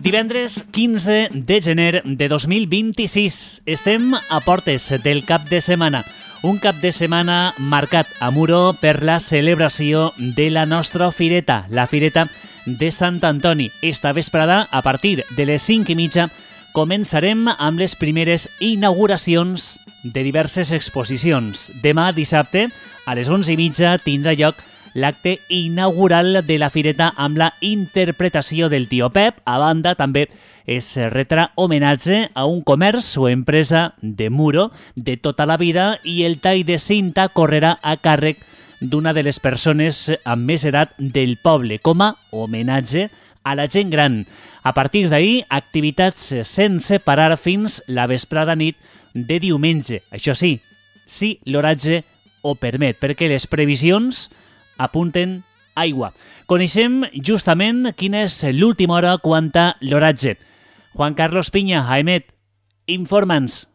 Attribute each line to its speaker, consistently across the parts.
Speaker 1: Divendres 15 de gener de 2026. Estem a portes del cap de setmana. Un cap de setmana marcat a Muro per la celebració de la nostra fireta, la Fireta de Sant Antoni. Esta vesprada, a partir de les 5:30, començarem amb les primeres inauguracions de diverses exposicions. Demà, dissabte, a les 11:30, tindrà lloc l'acte inaugural de la fireta amb la interpretació del Tio Pep. A banda, també es retrà homenatge a un comerç o empresa de Muro de tota la vida i el tall de cinta correrà a càrrec d'una de les persones amb més edat del poble, com a homenatge a la gent gran. A partir d'ahir, activitats sense parar fins la vesprada nit de diumenge. Això sí, si l'oratge ho permet, perquè les previsions apunten aigua. Coneixem justament quina és l'última hora quant a l'oratge. Juan Carlos Piña, Aemet, informa'ns.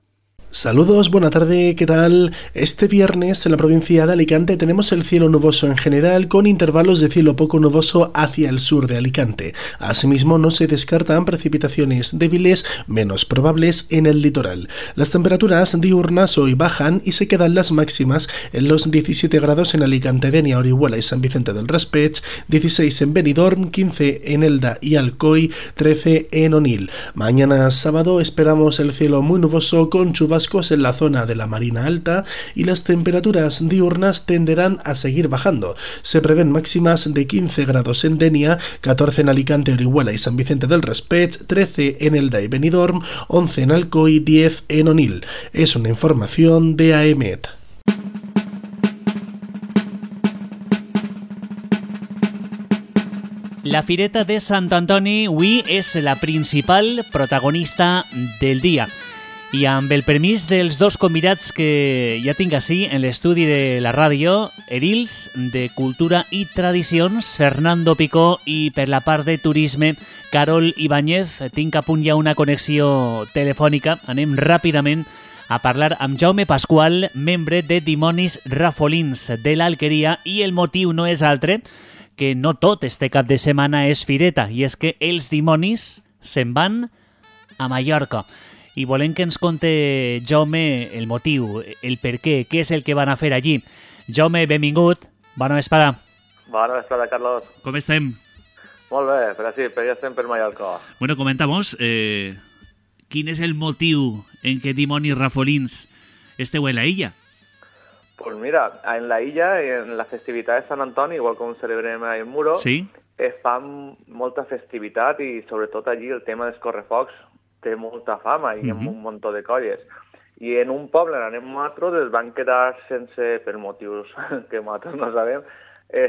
Speaker 2: Saludos, buena tarde, ¿qué tal? Este viernes en la provincia de Alicante tenemos el cielo nuboso en general con intervalos de cielo poco nuboso hacia el sur de Alicante. Asimismo, no se descartan precipitaciones débiles menos probables en el litoral. Las temperaturas diurnas hoy bajan y se quedan las máximas en los 17 grados en Alicante, Denia, Orihuela y San Vicente del Raspeig, 16 en Benidorm, 15 en Elda y Alcoy, 13 en Onil. Mañana sábado esperamos el cielo muy nuboso con chubascos en la zona de la Marina Alta y las temperaturas diurnas tenderán a seguir bajando. Se prevén máximas de 15 grados en Denia, 14 en Alicante, Orihuela y San Vicente del Raspeig, 13 en Elda y Benidorm, 11 en Alcoy, 10 en Onil. Es una información de Aemet.
Speaker 1: La Fireta de Sant Antoni avui és la principal protagonista del dia. I amb el permís dels dos convidats que ja tinc així en l'estudi de la ràdio, Erils, de Cultura i Tradicions, Fernando Picó, i per la part de Turisme, Carol Ibáñez. Tinc a punt ja una connexió telefònica. Anem ràpidament a parlar amb Jaume Pasqual, membre de Dimonis Rafolins de l'Alqueria, i el motiu no és altre que no tot este cap de setmana és fireta, i és que els dimonis se'n van a Mallorca. I volem que ens conte, Jaume, el motiu, el per què és el que van a fer allí. Jaume, benvingut. Bona vesprada.
Speaker 3: Bona vesprada, Carlos.
Speaker 1: Com estem?
Speaker 3: Molt bé, però sí, però ja estem per Mallorca.
Speaker 1: Bueno, comentamos, quin és el motiu en què Dimonis Rafolins esteu en la illa?
Speaker 3: Pues mira, en la illa, en la festivitat de Sant Antoni, igual com celebrem en Muro,
Speaker 1: sí?
Speaker 3: Es fan molta festivitat i sobretot allí el tema dels correfocs té molta fama i amb un munt de colles. I en un poble, on anem nosaltres, es van quedar sense, per motius que nosaltres no sabem,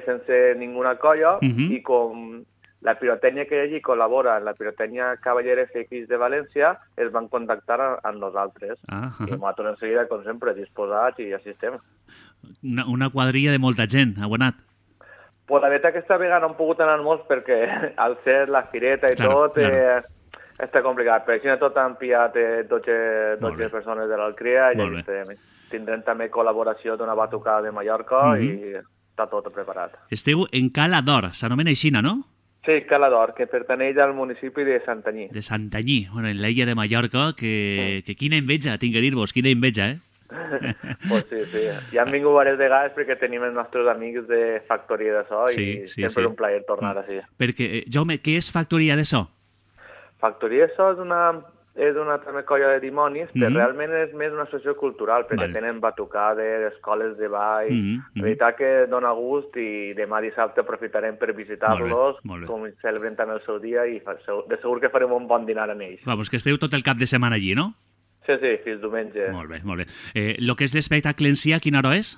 Speaker 3: sense ninguna colla, i com la pirotècnia que allí col·labora en la pirotènia Cavallera FX de València, es van contactar amb nosaltres. I nosaltres en seguida, com sempre, disposats i així estem.
Speaker 1: Una quadrilla de molta gent, ha guanat.
Speaker 3: Pues la veritat que aquesta vegada no han pogut anar molts perquè al ser la fireta i tot... Està complicat, però així tot han pillat 12 persones de l'Alcria i tindrem també col·laboració d'una batucada de Mallorca i està tot preparat.
Speaker 1: Esteu en Cala d'Or, s'anomena aixina, no?
Speaker 3: Sí, Cala d'Or, que pertaneix al municipi de Santanyí.
Speaker 1: De Santanyí, bueno, en l'illa de Mallorca, que quina enveja, tinc que dir-vos, quina enveja,
Speaker 3: Pues sí. Ja han vingut diverses vegades perquè tenim els nostres amics de Factoria de So i sempre és un plaer tornar així.
Speaker 1: Perquè, Jaume, què és Factoria de So?
Speaker 3: Factoria de So és una també colla de dimonis, però realment és més una associació cultural, perquè tenen batucades, escoles de ball... La veritat que dona gust i demà dissabte aprofitarem per visitar-los, com celebren també el seu dia, i de segur que farem un bon dinar amb ells.
Speaker 1: Vamos, que esteu tot el cap de setmana allí, no?
Speaker 3: Sí, fins diumenge.
Speaker 1: Molt bé. Lo que és l'espectacle en si, a quina hora és?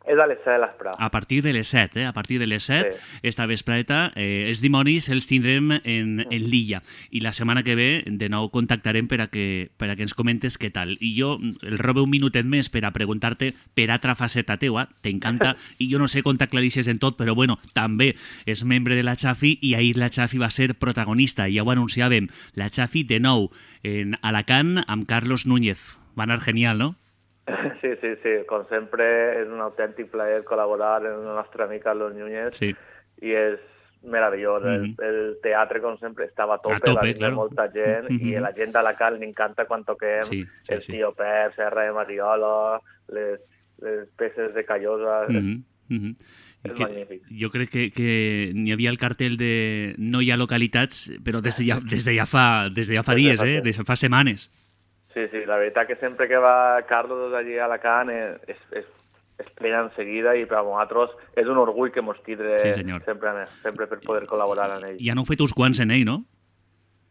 Speaker 3: És a les 7 de l'espre.
Speaker 1: A partir de les 7, A partir de les 7, esta vespreta, els dimonis els tindrem en l'illa. I la setmana que ve, de nou, contactarem per a que ens comentes què tal. I jo el robo un minutet més per a preguntar-te per altra faceta teua, t'encanta, i jo no sé com t'aclarixes en tot, però bueno, també és membre de la Xafi i ahir la Xafi va ser protagonista, ja ho anunciàvem. La Xafi, de nou, en Alacant amb Carlos Núñez. Va anar genial, no?
Speaker 3: Sí. Com sempre, és un autèntic plaer col·laborar amb el nostre amic Carlos Núñez. Sí. I és meravellós. El teatre, com sempre, estava a tope, va vindre molta gent, i a la gent d'Alacant li encanta quan toquem el Tio Pep, Serra de Mariola, les peces de Callosa... És magnífic.
Speaker 1: Jo crec que n'hi havia el cartell de no hi ha localitats, però des de ja fa dies, des de fa setmanes.
Speaker 3: Sí, la veritat que sempre que va Carlos allí a Alacant es plena enseguida i per a nosaltres és un orgull que mos tindre sempre per poder col·laborar amb ell.
Speaker 1: Ja n'heu fet uns quants en ell, no?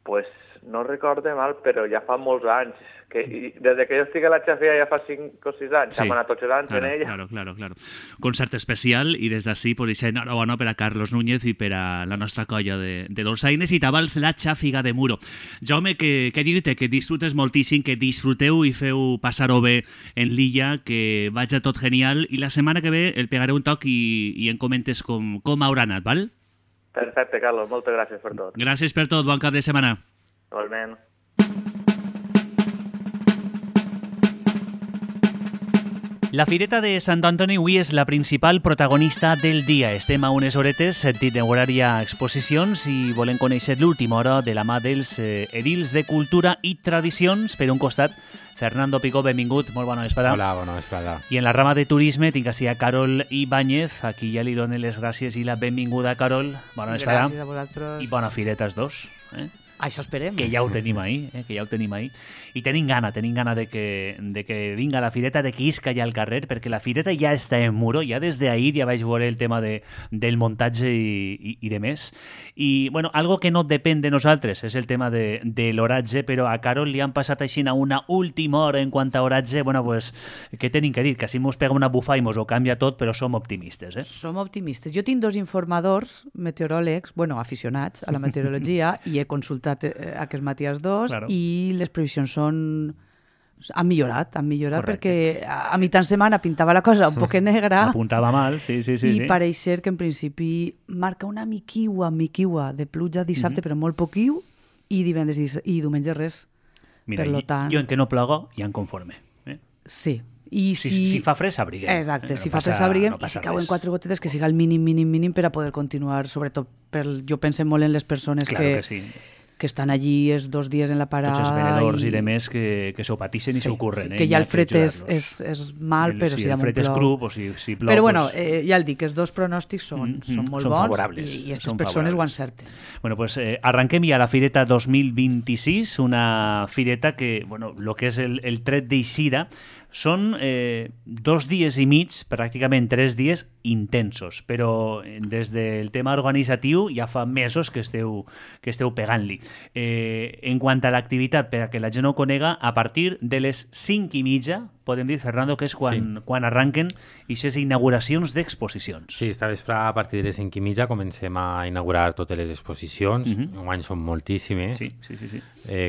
Speaker 3: Pues no recorde mal, però ja fa molts anys. Des que jo estic a la xafia ja fa 5 o 6 anys, hem anat 8 anys en ella.
Speaker 1: Claro. Concert especial i des d'ací pues, enhorabona per a Carlos Núñez i per a la nostra colla de dolçaines i tabals la xàfiga de Muro. Jaume, que dir-te que disfrutes moltíssim, que disfruteu i feu passar-ho bé en l'illa, que vaig a tot genial i la setmana que ve el pegaré un toc i em comentes com haurà anat, val?
Speaker 3: Perfecte, Carlos, moltes gràcies per tot.
Speaker 1: Gràcies per tot, bon cap de setmana.
Speaker 3: Igualment.
Speaker 1: La Fireta de Sant Antoni avui és la principal protagonista del dia. Estem a unes horetes d'inaugurar-hi exposicions i volem conèixer l'última hora de la mà dels edils de Cultura i Tradicions. Per un costat, Fernando Picó, benvingut, molt bona vesprada.
Speaker 4: Hola, bona vesprada.
Speaker 1: I en la rama de turisme tinc així a Carol Ibáñez. Aquí ja li dono les gràcies i la benvinguda, Carol. Bona vesprada.
Speaker 5: Gràcies a vosaltres.
Speaker 1: I bona fireta els dos.
Speaker 5: Això esperem.
Speaker 1: Que ja ho tenim ahí, I tenim gana de que vinga la fireta, de que isca ja al carrer, perquè la fireta ja està en Muro, ja des d'ahir ja vaig veure el tema del muntatge i de més. I, bueno, algo que no depèn de nosaltres és el tema de l'oratge, però a Carol li han passat així a una última hora en quant a oratge. Bueno, pues, què tenim que dir? Que així mos pega una bufa i mos ho canvia tot, però som optimistes,
Speaker 5: Som optimistes. Jo tinc 2 informadors meteoròlegs, aficionats a la meteorologia, i he consultat aquest matí els 2, claro. I les previsions han millorat perquè a mitjan setmana pintava la cosa un poc negra.
Speaker 1: Apuntava mal, sí.
Speaker 5: I pareix ser que en principi marca una miquiua de pluja dissabte, però molt poquiu, i divendres i diumenge res.
Speaker 1: Mira, jo en què no plogo ja em conforme.
Speaker 5: Sí.
Speaker 1: I si fa fred s'abriguem.
Speaker 5: Exacte, si fa fred s'abriguem, i si cauen 4 gotetes que siga el mínim per a poder continuar, sobretot jo penso molt en les persones que estan allí els 2 dies en la parada.
Speaker 1: Tots els venedors i demés que s'ho patixen i s'ho curren.
Speaker 5: Que ja el fred és mal, però si
Speaker 1: el fred és cru o si plou...
Speaker 5: Però bueno, ja el dic, els 2 pronòstics són molt bons
Speaker 1: favorables,
Speaker 5: i aquestes persones ho encerten.
Speaker 1: Bueno, pues arranquem ja la Fireta 2026, una fireta que, bueno, el que és el tret d'eixida són 2 dies i mig, pràcticament 3 dies intensos, però des del tema organitzatiu ja fa mesos que esteu pegant-li. En quant a l'activitat, per a que la gent ho conega, a partir de les 5:30, podem dir, Fernando, que és quan arranquen aquestes inauguracions d'exposicions.
Speaker 4: Sí, esta vespre a partir de les 5:30 comencem a inaugurar totes les exposicions. Enguany són moltíssimes.
Speaker 1: Sí.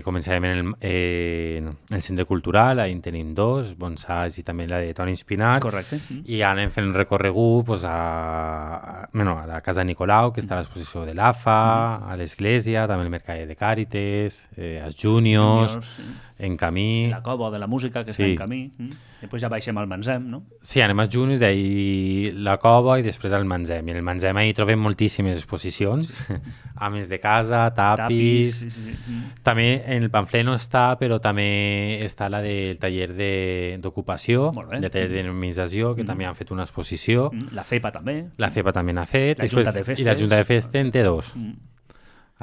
Speaker 4: Començarem en el Centre Cultural, ahí en tenim 2, Bonsais i també la de Toni Espinat.
Speaker 1: Correcte.
Speaker 4: I anem fent un recorregut a la Casa de Nicolau, que està a l'exposició de l'AFA, a l'església, també el Mercader de Càrites, als Júniors, en camí...
Speaker 1: La Cova de la Música, que està en camí. Després ja baixem al Manzem, no?
Speaker 4: Sí, anem als Júniors, d'ahir la Cova i després al Manzem. I en el Manzem ahir trobem moltíssimes exposicions, ames de casa, tapis... També en el pamflet no està, però també està la del taller d'ocupació, el taller de denominació, que també han fet una exposició.
Speaker 1: La FEPA també.
Speaker 4: La FEPA també n'ha fet.
Speaker 1: I
Speaker 4: la Junta de Festes en té 2.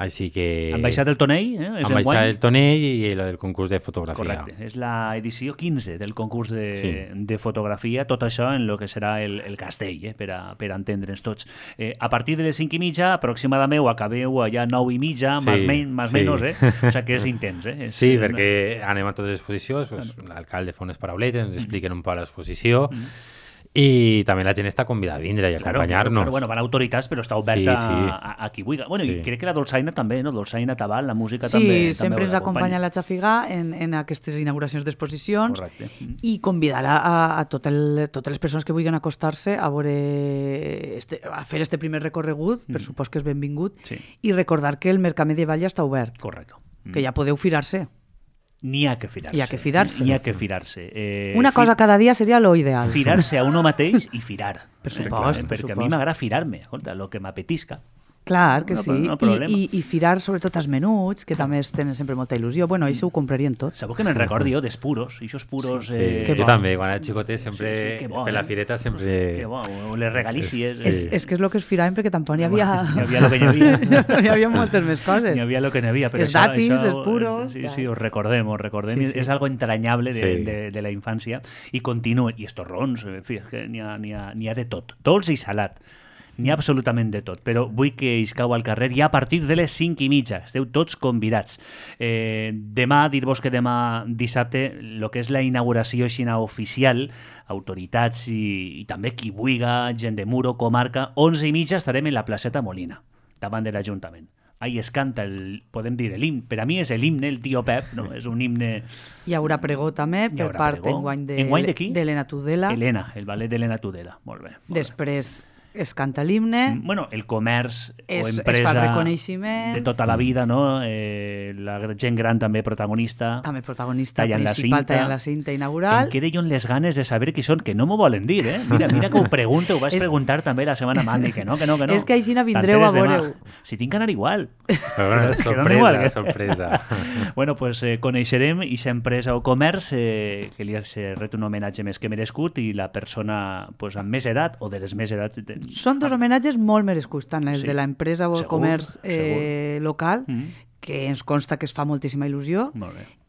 Speaker 4: Així que...
Speaker 1: Han baixat el tonell,
Speaker 4: Han baixat el tonell i el del concurs de fotografia.
Speaker 1: Correcte, és l'edició 15 del concurs de fotografia, tot això en el que serà el castell, per a entendre'ns tots. A partir de les 5:30, aproximadament, acabeu allà 9:30, més o menys, o sigui que és intens.
Speaker 4: Sí, perquè anem a totes les exposicions, l'alcalde fa unes parauletes, ens expliquen un poc l'exposició, i també la gent està convidada a vindre i acompanyar-nos.
Speaker 1: Bueno, van autoritats, però està oberta a qui vulgui. Bueno, i crec que la dolçaina també, no? Dolçaina, tabal, la música també.
Speaker 5: Sí, sempre ens acompanya la xàfiga en aquestes inauguracions d'exposicions.
Speaker 1: Correcte.
Speaker 5: I convidar a totes les persones que vulguin acostar-se a fer este primer recorregut, per supòs que és benvingut, i recordar que el mercat medieval ja està obert.
Speaker 1: Correcte.
Speaker 5: Que ja podeu firar-se.
Speaker 1: N'hi ha que firar-se.
Speaker 5: Una cosa cada dia seria lo ideal.
Speaker 1: Firar-se a uno mateix i firar.
Speaker 5: Per supost.
Speaker 1: Perquè a mi m'agrada firar-me, el que m'apetisca.
Speaker 5: Clar que sí,
Speaker 1: no problema.
Speaker 5: I firar sobretot els menuts, que també tenen sempre molta il·lusió. Bueno, això ho comprarien tot.
Speaker 1: Sabeu que me'n recordi jo dels puros, i això puros...
Speaker 4: Jo també, quan era xicotet sempre, per la fireta sempre...
Speaker 1: Que bo, les regalícies.
Speaker 5: És que és el que es firaven perquè tampoc n'hi havia...
Speaker 1: N'hi havia el que n'hi havia.
Speaker 5: N'hi havia moltes més coses.
Speaker 1: N'hi havia el que n'hi havia.
Speaker 5: Els dàtils, els puros...
Speaker 1: Sí, ho recordem. És algo entranyable de la infància. I continua. I els torrons, que n'hi ha de tot. Dolç i salat. N'hi ha absolutament de tot, però vull que iscau al carrer ja a partir de les 5:30. Esteu tots convidats. Demà, dir-vos que demà dissabte, el que és la inauguració xina oficial, autoritats i també qui vulga, gent de Muro, comarca, 11:30 estarem en la placeta Molina, davant de l'Ajuntament. Ahí es canta, podem dir, l'himne. Per a mi és l'himne, el tio Pep, no? És un himne...
Speaker 5: Hi haurà pregó també per part enguany
Speaker 1: de qui?
Speaker 5: d'Helena Tudela.
Speaker 1: Helena, el ballet d'Helena Tudela. Molt bé.
Speaker 5: Després es canta l'himne.
Speaker 1: Bueno, el comerç o empresa...
Speaker 5: Es fa el reconeixement.
Speaker 1: De tota la vida, no? La gent gran també protagonista.
Speaker 5: També protagonista
Speaker 1: tallant
Speaker 5: principal, tallant la cinta inaugural.
Speaker 1: Em quedé jo amb les ganes de saber qui són, que no m'ho volen dir, eh? Mira que ho pregunto, ho vaig preguntar també la setmana mani, que no.
Speaker 5: És que així vindreu a veure-ho.
Speaker 1: Si tinc que anar igual.
Speaker 4: Però sorpresa.
Speaker 1: Bueno, pues coneixerem aquesta empresa o comerç que li ha ret un homenatge més que merescut i la persona pues, amb més edat o de les més edats...
Speaker 5: Són dos homenatges molt merescuts, tant els de l'empresa o el comerç local, que ens consta que es fa moltíssima il·lusió,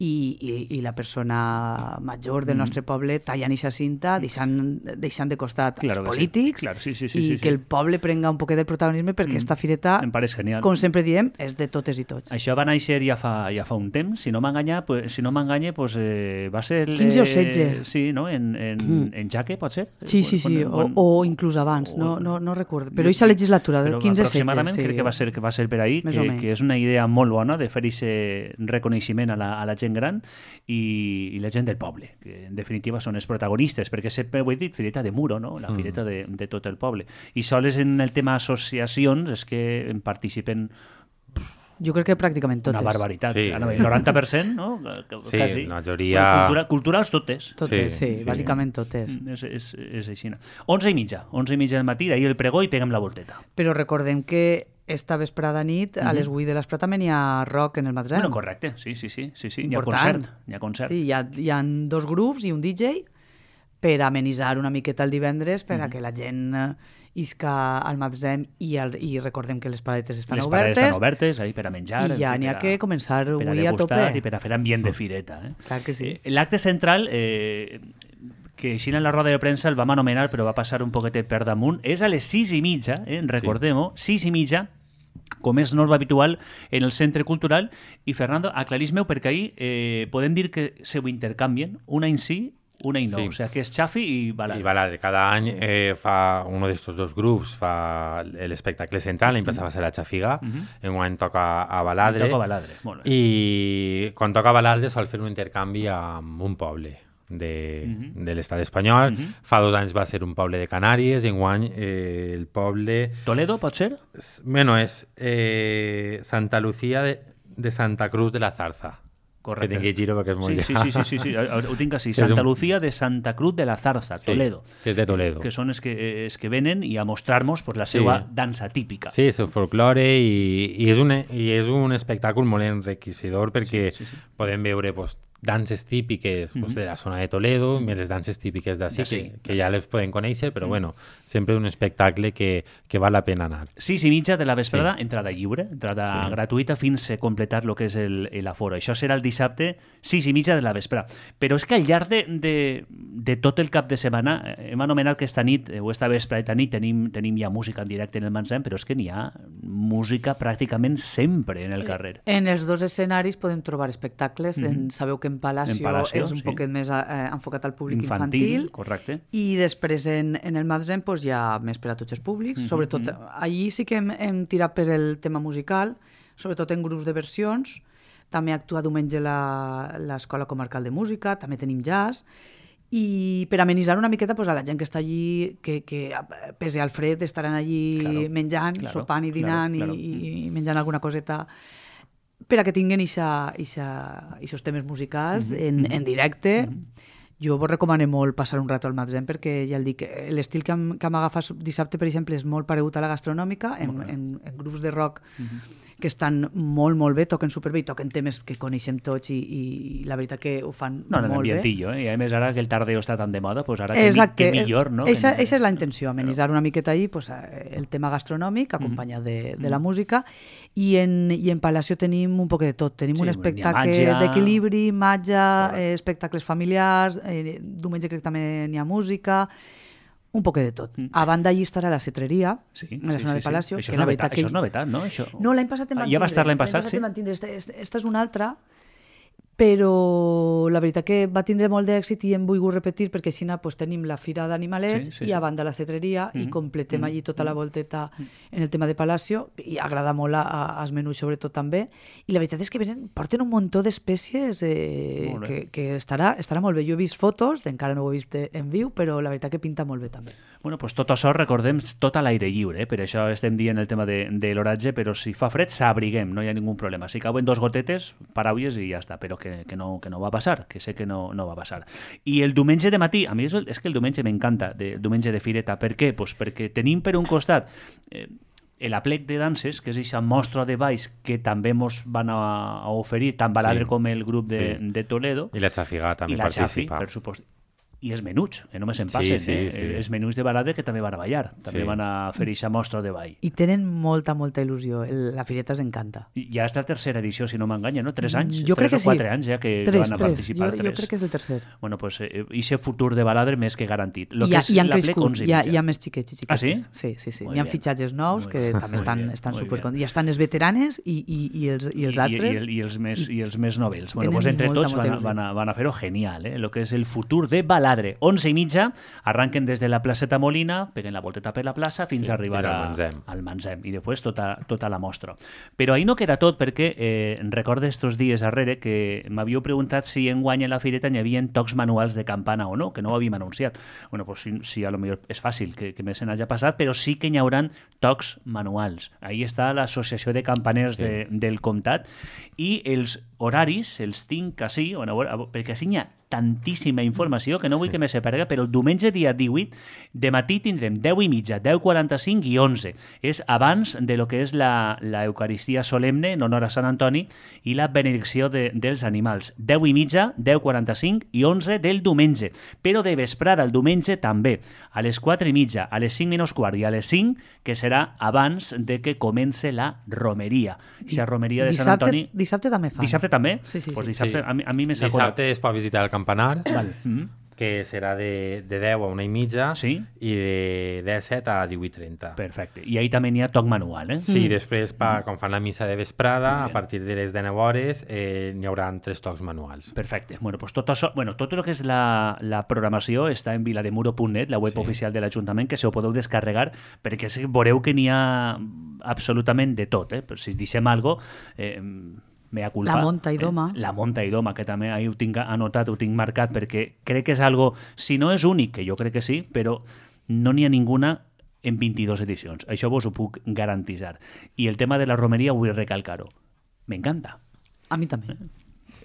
Speaker 5: i la persona major del nostre poble tallant aquesta cinta, deixant de costat els polítics, i que el poble prenga un poquet del protagonisme, perquè aquesta fireta, com sempre diem, és de totes i tots.
Speaker 1: Això va néixer ja fa un temps, si no m'enganya, va ser...
Speaker 5: 15 o 16.
Speaker 1: Sí, no? En Jaque, pot ser?
Speaker 5: Sí, o inclús abans, no recordo. Però aquesta legislatura, 15-16.
Speaker 1: Aproximadament crec que va ser per ahir, que és una idea molt bona de fer aquest reconeixement a la gent gran i la gent del poble, que en definitiva són els protagonistes, perquè sempre ho he dit, fireta de Muro, no? La fireta de tot el poble. I sols en el tema associacions és que en participen
Speaker 5: jo crec que pràcticament totes.
Speaker 1: Una barbaritat. Sí. El 90%, no?
Speaker 4: Sí,
Speaker 1: quasi.
Speaker 4: La majoria...
Speaker 1: Culturals totes.
Speaker 5: Totes, sí, bàsicament totes.
Speaker 1: És així. 11:30 del matí, d'ahir el pregó i peguem la volteta.
Speaker 5: Però recordem que esta vesprada nit, a les 8 de l'espre també n'hi ha rock en el magatzem.
Speaker 1: Bueno, correcte, sí. Hi ha concert.
Speaker 5: Sí, hi ha 2 grups i un DJ per amenitzar una miqueta el divendres, per a que la gent isca al magatzem i recordem que les paletes estan obertes.
Speaker 1: Les paletes estan obertes, ahí per a menjar.
Speaker 5: I ja n'hi ha que començar avui a tope.
Speaker 1: I per a fer ambient de fireta.
Speaker 5: Clar que sí.
Speaker 1: L'acte central, que així en la roda de premsa el vam anomenar, però va passar un poquetet per damunt, és a les 6:30, recordem-ho, 6:30, com és norma habitual en el Centre Cultural. I Fernando, aclarís-me-ho, perquè ahir podem dir que se ho intercanvien, una en sí, una i no, o sea que és Xafi i Baladre.
Speaker 4: I Baladre, cada any fa uno d'estos dos grups, fa l'espectacle central, l'any passat va ser la Xafiga, enguany toca a Baladre.
Speaker 1: Toca a Baladre, molt bé.
Speaker 4: I quan toca a Baladre sol fer un intercanvi amb un poble de l'estat espanyol. Fa 2 anys va ser un poble de Canàries, enguany el poble...
Speaker 1: Toledo, pot ser?
Speaker 4: Bueno, és Santa Lucía de Santa Cruz de la Zarza.
Speaker 1: Correcte.
Speaker 4: Que tingui giro perquè és molt llarg.
Speaker 1: Sí, ho tinc així. Santa Lucía de Santa Cruz de la Zarza, Toledo.
Speaker 4: Que és de Toledo.
Speaker 1: Que són els que venen i a mostrar-nos la seva dansa típica.
Speaker 4: Sí, el seu folklore i és un espectacle molt enriquecedor perquè podem veure danses típiques de la zona de Toledo, més les danses típiques d'ací, que ja les podem conèixer, però bueno, sempre un espectacle que val la pena anar.
Speaker 1: 6:30 de la vesprada, entrada lliure, entrada gratuïta fins a completar el que és l'aforo. Això serà el dissabte, 6:30 de la vesprada. Però és que al llarg de tot el cap de setmana, hem anomenat que esta nit, o esta vesprada nit, tenim ja música en directe en el magatzem, però és que n'hi ha música pràcticament sempre en el carrer.
Speaker 5: En els 2 escenaris podem trobar espectacles, sabeu que en Palacio és un poquet més enfocat al públic infantil.
Speaker 1: Correcte.
Speaker 5: I després en el magatzem hi ha més per a tots els públics. Sobretot, allí sí que hem tirat per el tema musical, sobretot en grups de versions. També actua diumenge l'Escola Comarcal de Música, també tenim jazz. I per amenitzar una miqueta a la gent que està allí, que pese al fred estaran allí menjant, sopant i dinant i menjant alguna coseta, per a que tinguin aquests temes musicals en directe Jo vos recomano molt passar un rato al magatzem perquè, ja el dic, l'estil que m'agafes dissabte, per exemple, és molt paregut a la gastronòmica, en grups de rock que estan molt, molt bé, toquen superbé i toquen temes que coneixem tots i la veritat que ho fan molt bé.
Speaker 1: Ambientillo, I a més ara que el tardeo està tan de moda, pues ara que millor, no?
Speaker 5: Eixa és la intenció, amenitzar una miqueta ahí pues, el tema gastronòmic acompanyat de la música i en Palacio tenim un poc de tot. Tenim un espectacle d'equilibri, màgia, espectacles familiars, diumenge crec que també n'hi ha música, un poc de tot. A banda allí estarà la cetreria, en la zona de Palacio.
Speaker 1: Això és novetat, no?
Speaker 5: No, l'any passat en van tindre.
Speaker 1: Ja va estar l'any passat, sí?
Speaker 5: Esta és una altra, però la veritat que va tindre molt d'èxit i hem volgut repetir perquè així pues, tenim la Fira d'Animalets i a banda la cetreria i completem allí tota la volteta en el tema de Palacio i agrada molt als menús sobretot també i la veritat és que porten un muntó d'espècies que estarà molt bé. Jo he vist fotos, encara no ho he vist en viu, però la veritat que pinta molt bé també.
Speaker 1: Bueno, pues tot això, recordem, tot a l'aire lliure, per això estem dient el tema de l'oratge, però si fa fred s'abriguem, no hi ha ningú problema. Si cauen 2 gotetes, paraules i ja està, però que no va passar, que sé que no va passar. I el diumenge de matí, a mi és que el diumenge m'encanta, el diumenge de fireta. Per què? Pues perquè tenim per un costat l'aplec de danses, que és aquesta mostra de balls que també ens van a oferir tant Baladre com el grup de Toledo.
Speaker 4: I la Xafiga també participa.
Speaker 1: Per supost. I els menuts, que només en passen, els menuts de Baladre que també van a ballar, també van a fer aquesta mostra de ball.
Speaker 5: I tenen molta il·lusió, la fireta els encanta.
Speaker 1: Ja és la tercera edició, si no m'enganya, no? 3 anys?
Speaker 5: Jo crec que sí.
Speaker 1: 3 o 4 anys ja que van a participar.
Speaker 5: Jo crec que és el tercer.
Speaker 1: Bueno, pues aquest futur de Baladre més que garantit.
Speaker 5: I han crescut, hi ha més xiquets i xiquetes.
Speaker 1: Ah, sí?
Speaker 5: Sí. Hi ha fitxatges nous que també estan supercontents. Hi estan els veteranes i els altres.
Speaker 1: I els més novells. Bueno, pues entre tots van a fer-ho genial, el que és el futur de Baladre. 11:30 arranquen des de la placeta Molina, peguen la volteta per la plaça fins a arribar al Manzem i després tota la mostra. Però ahí no queda tot perquè recordo estos dies darrere que m'havíeu preguntat si enguany a la fireta hi havia tocs manuals de campana o no, que no ho havíem anunciat. Bueno, pues sí, a lo millor és fàcil que me se n'hagi passat, però sí que hi haurà tocs manuals. Ahí està l'associació de campaners del comtat i els horaris els tinc així, perquè així hi ha tantíssima informació que no vull que me separega, però el diumenge dia 18 de matí tindrem 10:30, 10:45 i 11. És abans de lo que és la Eucaristia solemne en honor a Sant Antoni i la benedicció dels animals. 10:30, 10:45 i 11 del diumenge. Però de vesprada el diumenge també, a les 4:30, a les 5:15 i a les 5, que serà abans de que comence la romeria. I la romeria de Sant Antoni...
Speaker 5: Dissabte també fa.
Speaker 1: Dissabte també?
Speaker 5: Sí.
Speaker 1: Pues dissabte, a mi me s'ha
Speaker 4: dissabte es pot visitar el campanar, que serà de 10 a 1:30 i de 17 a 18:30.
Speaker 1: Perfecte. I ahí també n'hi ha toc manual,
Speaker 4: Sí, després, quan fan la missa de vesprada, a partir de les 19 hores, n'hi haurà 3 tocs manuals.
Speaker 1: Perfecte. Bueno, pues tot això, tot el que és la programació està en vilademuro.net, la web oficial de l'Ajuntament, que se ho podeu descarregar, perquè veureu que n'hi ha absolutament de tot. Però si deixem alguna cosa...
Speaker 5: La Monta i Doma.
Speaker 1: La Monta i Doma, que també ho tinc anotat, ho tinc marcat, perquè crec que és algo, si no és únic, que jo crec que sí, però no n'hi ha ninguna en 22 edicions. Això vos ho puc garantitzar. I el tema de la romeria vull recalcar-ho. M'encanta.
Speaker 5: A mi també.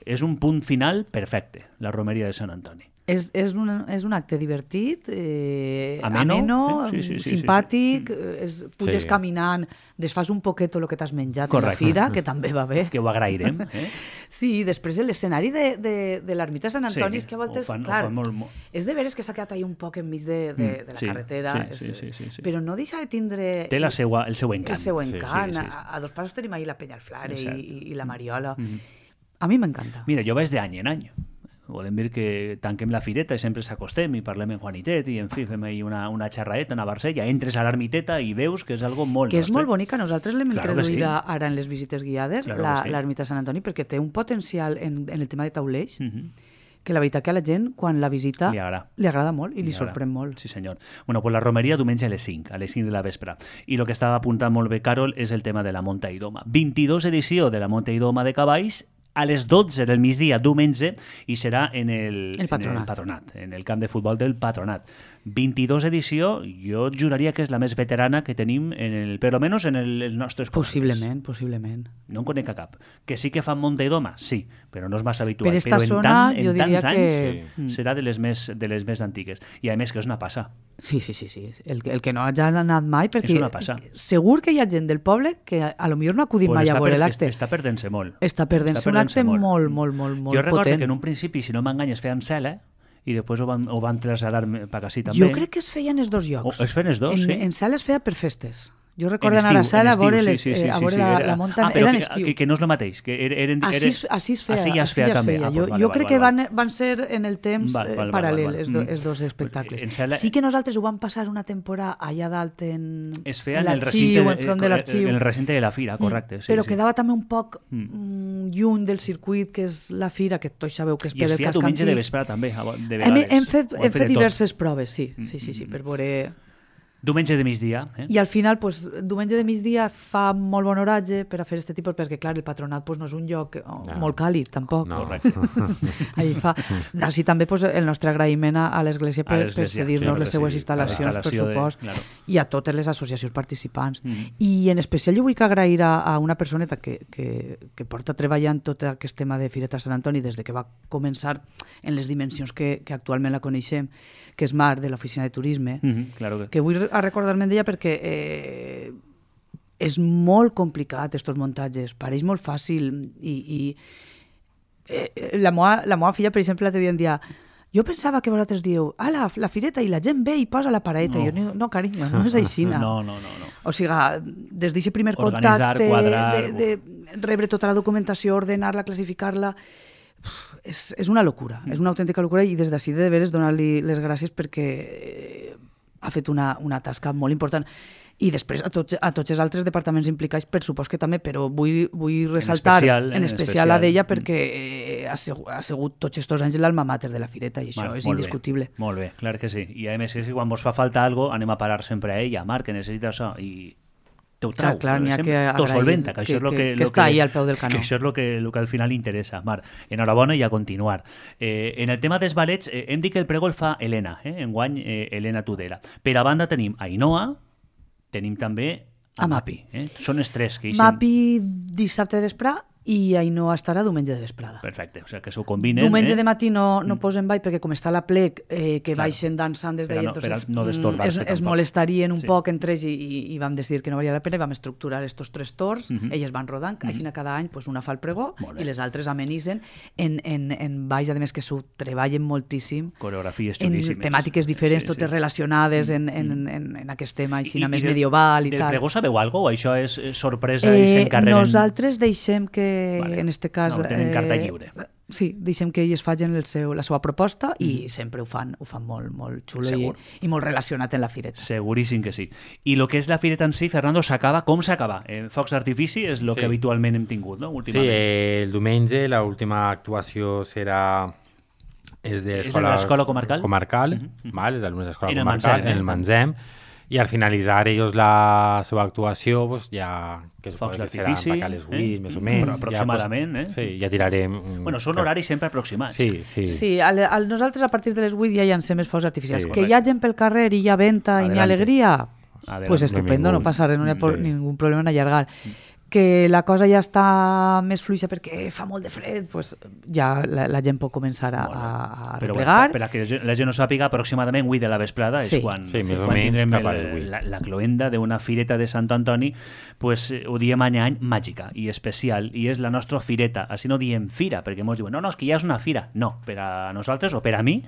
Speaker 1: És un punt final perfecte, la romeria de Sant Antoni.
Speaker 5: És un acte divertit, ameno, simpàtic, puges caminant, desfas un poquet el que t'has menjat a la fira, que també va bé.
Speaker 1: Que ho agrairem.
Speaker 5: Sí, després l'escenari de l'ermita de Sant Antoni, és que a voltes, clar, és de veres que s'ha quedat un poc enmig de la carretera, però no deixa de tindre...
Speaker 1: Té el seu encant.
Speaker 5: El seu encant. A 2 passos tenim ahir la Penyalflare i la Mariola. A mi m'encanta.
Speaker 1: Mira, jo vaig d'any en any. Volem dir que tanquem la fireta i sempre s'acostem i parlem en Juanitet i, en fi, fem ahí una xerraeta, una barsella, entres a l'ermiteta i veus que és algo molt
Speaker 5: nostre. Que és molt bonica. Nosaltres l'hem introduïda ara en les visites guiades, l'ermita de Sant Antoni, perquè té un potencial en el tema de taulells que la veritat que a la gent, quan la visita, li agrada molt i li sorprèn molt.
Speaker 1: Sí, senyor. Bueno, pues la romeria diumenge a les 5 de la vespre. I el que estava apuntant molt bé, Carol, és el tema de la Monta i Doma. 22 edició de la Monta i Doma de cavalls, a les 12 del migdia, diumenge, i serà en el Patronat, en el camp de futbol del Patronat. 22 edició, jo juraria que és la més veterana que tenim, per almenys en els nostres
Speaker 5: comarques. Possiblement.
Speaker 1: No en conec a cap. Que sí que fan Monta i Doma, sí, però no és massa habitual.
Speaker 5: Per esta zona, jo diria
Speaker 1: anys serà de les més antigues. I a més que és una passa.
Speaker 5: Sí. El que no hagi anat mai, perquè
Speaker 1: és una passa.
Speaker 5: Segur que hi ha gent del poble que a lo millor no ha acudit mai a veure l'acte.
Speaker 1: Està perdent-se molt.
Speaker 5: Està perdent-se un acte molt potent.
Speaker 1: Jo recordo que en un principi, si no m'enganyes, feien cel·la, i després ho van traslladar per ací també.
Speaker 5: Jo crec que es feien els dos llocs.
Speaker 1: Es feien els dos, sí.
Speaker 5: En sala es feia per festes. Jo recordo anar a la sala a veure la muntanya. Era en estiu.
Speaker 1: Que no és el mateix.
Speaker 5: Així es feia.
Speaker 1: Així ja es feia també.
Speaker 5: Jo crec que van ser en el temps paral·lel, els dos espectacles. Sí que nosaltres ho vam passar una temporada allà dalt en l'arxiu, enfront de l'arxiu.
Speaker 1: En el recinte de la fira, correcte.
Speaker 5: Però quedava també un poc lluny del circuit, que és la fira, que tots sabeu que és per el casc antic.
Speaker 1: I es feia diumenge de vesprada també, de vegades.
Speaker 5: Hem fet diverses proves, sí, per veure...
Speaker 1: Diumenge de migdia.
Speaker 5: I al final, diumenge de migdia fa molt bon oratge per a fer aquest tipus, perquè clar, el Patronat no és un lloc molt càlid, tampoc.
Speaker 1: No.
Speaker 5: Així també el nostre agraïment a l'Església per cedir-nos les seues instal·lacions, per supost, i a totes les associacions participants. I en especial jo vull agrair a una personeta que porta treballant tot aquest tema de Fireta Sant Antoni des de que va començar en les dimensions que actualment la coneixem, que és Mar, de l'Oficina de Turisme, que vull recordar-me d'ella perquè és molt complicat, estos muntatges, pareix molt fàcil, i la meva filla, per exemple, l'altre dia em dia, jo pensava que vosaltres dieu, la fireta, i la gent ve i posa la pareta. Jo, no, carinyo, no és aixina.
Speaker 1: No.
Speaker 5: O sigui, des d'aquest primer contacte, de rebre tota la documentació, ordenar-la, classificar-la, és una locura, és una autèntica locura, i des d'ací de veres donar-li les gràcies perquè ha fet una tasca molt important. I després a tots els altres departaments implicats, per supost que també, però vull ressaltar en especial a d'ella perquè ha sigut tots aquests anys l'alma mater de la fireta, i això és indiscutible.
Speaker 1: Molt bé, clar que sí. I a més, si quan vos fa falta alguna cosa, anem a parar sempre a ella, Marc, que necessita això, i t'ho trau.
Speaker 5: Clar, n'hi ha que agrair que està ahí al peu del canó.
Speaker 1: Que això és el que al final interessa. Marc, enhorabona i a continuar. En el tema dels balets, hem dit que el pregó el fa Helena, enguany Helena Tudela. Per a banda tenim Ainhoa, tenim també a Mapi. Són els tres que hi
Speaker 5: Mapi dissabte de vesprà i Ainhoa estarà diumenge de vesprada.
Speaker 1: Perfecte, o sigui que s'ho combinen.
Speaker 5: Diumenge de matí no posen ball perquè com està la plec, que baixen dansant des d'ahir, es molestarien un poc entre ells i vam decidir que no valia la pena i vam estructurar estos 3 torns, elles van rodant, així cada any una fa el pregó i les altres amenitzen en balls, a més que s'ho treballen moltíssim,
Speaker 1: coreografies xulíssimes,
Speaker 5: en temàtiques diferents, totes relacionades en aquest tema així més medieval i tal.
Speaker 1: Del pregó sabeu alguna cosa o això és sorpresa i s'encarreguen?
Speaker 5: Nosaltres deixem que en este cas
Speaker 1: tenen carta lliure.
Speaker 5: Sí, deixem que ells facin la seva proposta i sempre ho fan molt xulo i molt relacionat amb la fireta.
Speaker 1: Seguríssim que sí. I el que és la fireta en si, Fernando, s'acaba, com s'acaba? Focs d'artifici és el que habitualment hem tingut, no?
Speaker 4: Sí, el diumenge l'última actuació serà és de
Speaker 1: l'escola comarcal,
Speaker 4: és d'alumnes d'escola comarcal, en el Manzem, i al finalitzar ells la seva actuació, ja que
Speaker 1: focs d'artifici,
Speaker 4: a les 8, més o menys.
Speaker 1: Aproximadament,
Speaker 4: Sí, ja tirarem...
Speaker 1: Bueno, són horaris sempre aproximats.
Speaker 4: Sí,
Speaker 5: nosaltres a partir de les 8 ja llancem els focs artificials. Que hi ha gent pel carrer i hi ha venta i n'hi ha alegria, pues estupendo, no passa res, no hi ha ningú problema en allargar. Que la cosa ja està més fluixa perquè fa molt de fred, pues ja la gent pot començar a replegar.
Speaker 1: Per a que la gent no sàpiga, aproximadament 8 de la vesprada és quan tindrem la cloenda d'una fireta de Sant Antoni, pues ho diem any màgica i especial, i és la nostra fireta. Així no diem fira, perquè ens diuen, no, és que ja és una fira. No, per a nosaltres o per a mi,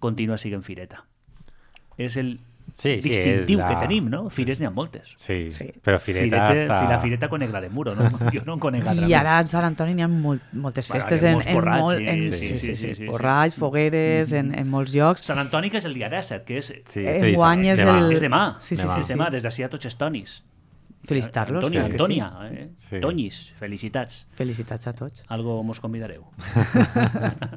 Speaker 1: continua sent fireta. És el distintiu que tenim, no? Fires n'hi ha moltes.
Speaker 4: Sí, però fireta està...
Speaker 1: La fireta conec la de Muro, no? Jo no en conec altra més.
Speaker 5: I ara a Sant Antoni n'hi ha moltes festes borrats, fogueres, en molts llocs.
Speaker 1: Sant Antoni que és el dia 17, que és...
Speaker 5: Enguany és
Speaker 1: demà. Sí, demà, des d'ací a tots els tonis.
Speaker 5: Felicitar-los.
Speaker 1: Antònia, Toñis, felicitats.
Speaker 5: Felicitats a tots.
Speaker 1: Algo mos convidareu.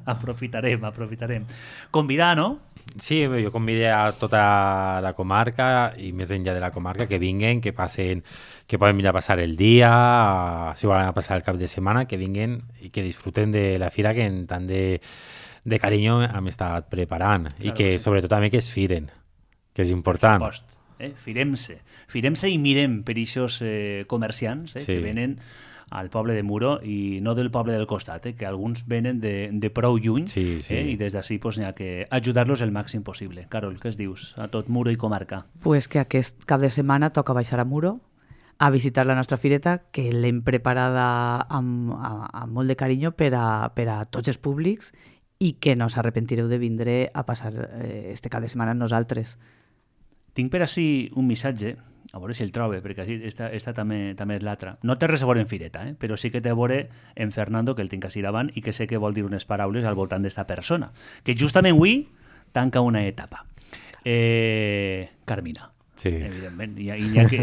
Speaker 1: Aprofitarem. Convidar, no?
Speaker 4: Sí, jo convidé a tota la comarca i més enllà de la comarca que vinguen, que passen, que poden venir a passar el dia, si volen passar el cap de setmana, que vinguen i que disfruten de la fira que en tant de carinyo hem estat preparant i que sobretot també que es firen. que és important.
Speaker 1: Per supost. Firem-se i mirem per aquests comerciants que venen al poble de Muro i no del poble del costat, que alguns venen de prou lluny i des d'ací n'hi ha que ajudar-los el màxim possible. Carol, què es dius a tot Muro i comarca?
Speaker 5: Pues que aquest cap de setmana toca baixar a Muro a visitar la nostra fireta, que l'hem preparada amb molt de carinyo per a tots els públics i que no s'arrepentireu de vindre a passar este cap de setmana amb nosaltres.
Speaker 1: Tinc per ací un missatge, a veure si el trobe, perquè esta també és l'altra. No té res a veure en fireta, però sí que té a veure en Fernando, que el tinc així davant, i que sé que vol dir unes paraules al voltant d'esta persona, que justament avui tanca una etapa. Carmina.
Speaker 4: Sí.
Speaker 1: Evidentment,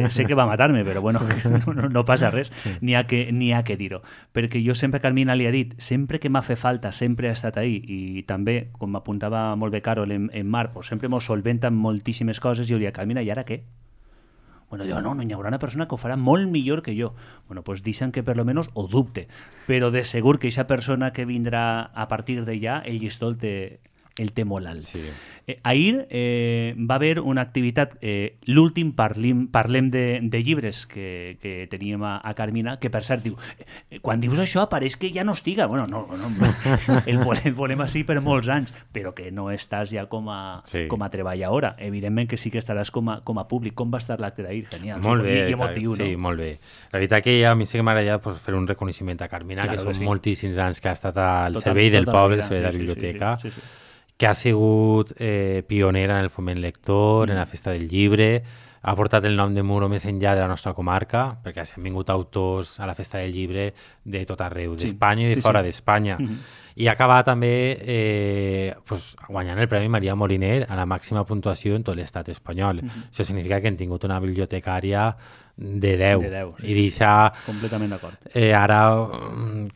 Speaker 1: sé que va matar-me, però bueno, no passa res, n'hi ha que dir-ho, perquè jo sempre, Carmina, li ha dit, sempre que m'ha fet falta, sempre ha estat ahí, i també, com m'apuntava molt bé Carol en Mar, pues sempre mos solventa moltíssimes coses, i jo li dic, Carmina, i ara què? Bueno, jo no hi haurà una persona que ho farà molt millor que jo. Bueno, pues deixen que per lo menos ho dubte, però de segur que aquesta persona que vindrà a partir d'allà, el llistó el té molt alt.
Speaker 4: Sí.
Speaker 1: Ahir va haver una activitat, l'últim parlem de llibres que teníem a Carmina, que per cert diu, quan dius això pareix que ja no estiga. Bueno, no, el volem així per molts anys, però que no estàs ja com a treballadora. Evidentment que sí que estaràs com a públic. Com va estar l'acte d'ahir? Genial.
Speaker 4: Molt bé.
Speaker 1: I emotiu, no?
Speaker 4: Sí, molt bé. La veritat que a mi sí que m'agradaria fer un reconeixement a Carmina, que són moltíssims anys que ha estat al servei del poble, al servei de la biblioteca, que ha sigut pionera en el foment lector, en la festa del llibre, ha portat el nom de Muro més enllà de la nostra comarca, perquè s'han vingut autors a la festa del llibre de tot arreu, d'Espanya i de fora d'Espanya. I ha acabat també guanyant el Premi Maria Moliner a la màxima puntuació en tot l'estat espanyol. Això significa que hem tingut una bibliotecària de 10. I deixar...
Speaker 1: Completament d'acord.
Speaker 4: Ara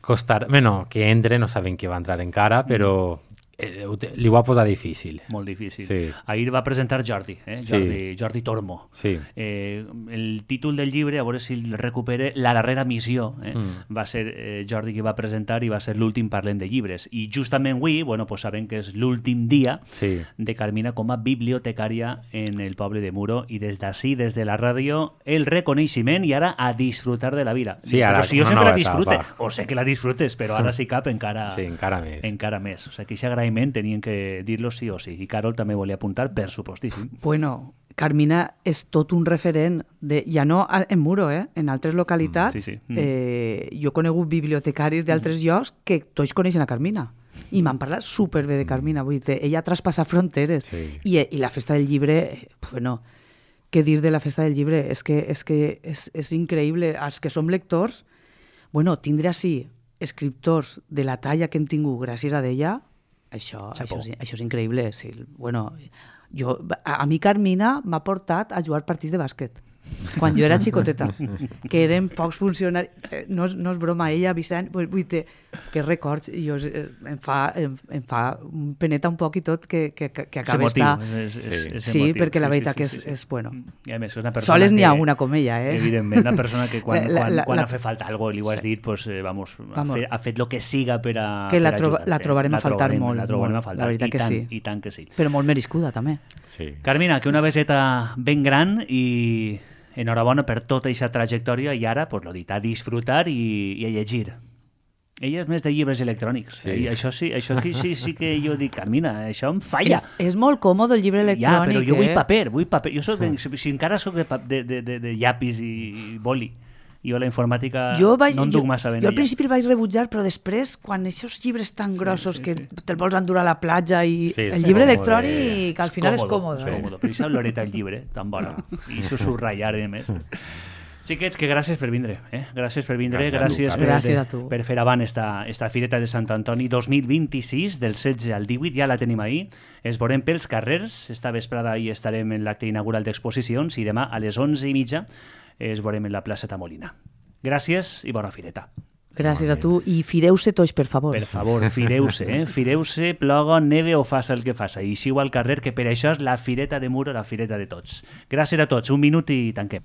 Speaker 4: costar... Bueno, que entre, no sabem que va entrar encara, però... li ho va posar difícil.
Speaker 1: Molt difícil.
Speaker 4: Sí.
Speaker 1: Ahir va presentar Jordi, Jordi Tormo.
Speaker 4: Sí.
Speaker 1: El títol del llibre, a veure si el recupere, La darrera missió. Va ser Jordi qui va presentar i va ser l'últim Parlem de llibres. I justament avui, pues sabem que és l'últim dia de Carmina com a bibliotecària en el poble de Muro, i des d'ací, des de la ràdio, el reconeixement i ara a disfrutar de la vida.
Speaker 4: Sí, ara,
Speaker 1: però si jo sempre la disfrute, o sé que la disfrutes, però ara sí cap encara
Speaker 4: més.
Speaker 1: Encara més. O sigui, que aquest agraïment tenien que dir-lo sí o sí. I Carol també volia apuntar, per supostíssim.
Speaker 5: Bueno, Carmina és tot un referent, ja no en Muro, en altres localitats. Jo he conegut bibliotecaris d'altres llocs que tots coneixen a Carmina. I m'han parlat superbé de Carmina. Vull dir, ella ha traspassat fronteres. I la festa del llibre, bueno, què dir de la festa del llibre? És que és increïble. Els que som lectors, bueno, tindre així escriptors de la talla que hem tingut gràcies a ella, això és increïble. Sí. Bueno, a mi Carmina m'ha portat a jugar partits de bàsquet quan jo era xicoteta, que eren pocs funcionaris. No és broma, ella, Vicent, vull dir, que records, em fa peneta un poc i tot que acaba d'estar. Sí, perquè la veritat que és bueno. Soles n'hi ha una com ella,
Speaker 1: Evidentment, una persona que quan ha fet falta alguna cosa, li ho has dit, ha fet el que siga per a ajudar.
Speaker 5: La trobarem a faltar molt.
Speaker 1: La trobarem a faltar,
Speaker 5: la veritat que sí.
Speaker 1: I tant que sí.
Speaker 5: Però molt merescuda, també.
Speaker 1: Carmina, que una beseta ben gran i enhorabona per tota aquesta trajectòria, i ara, lo dit, a disfrutar i a llegir. Ella és més de llibres electrònics. Això sí que jo dic, Carmina, això em falla.
Speaker 5: És molt còmode el llibre electrònic.
Speaker 1: Ja, però jo vull paper. Jo si encara soc de llapis i boli. Jo la informàtica no en duc massa ben.
Speaker 5: Jo al principi el vaig rebutjar, però després, quan aquests llibres tan grossos que te'l vols endur a la platja, i el llibre electrònic al final és còmode.
Speaker 1: Per això l'horeta del llibre, tan bona. I subratllar, a més. Xiquets, que gràcies per vindre. Gràcies per vindre, gràcies per fer avant esta Fireta de Sant Antoni 2026, del 16 al 18, ja la tenim ahir. Es veurem pels carrers, esta vesprada hi estarem en l'acte inaugural d'exposicions, i demà a les 11:30 es veurem en la plaça Tamolina. Gràcies i bona fireta.
Speaker 5: Gràcies a tu, i fireu-se tots, per favor.
Speaker 1: Per favor, fireu-se, Fireu-se, ploga, neve o faça el que faça. I eixiu al carrer, que per això és la Fireta de Muro, la fireta de tots. Gràcies a tots, un minut i tanquem.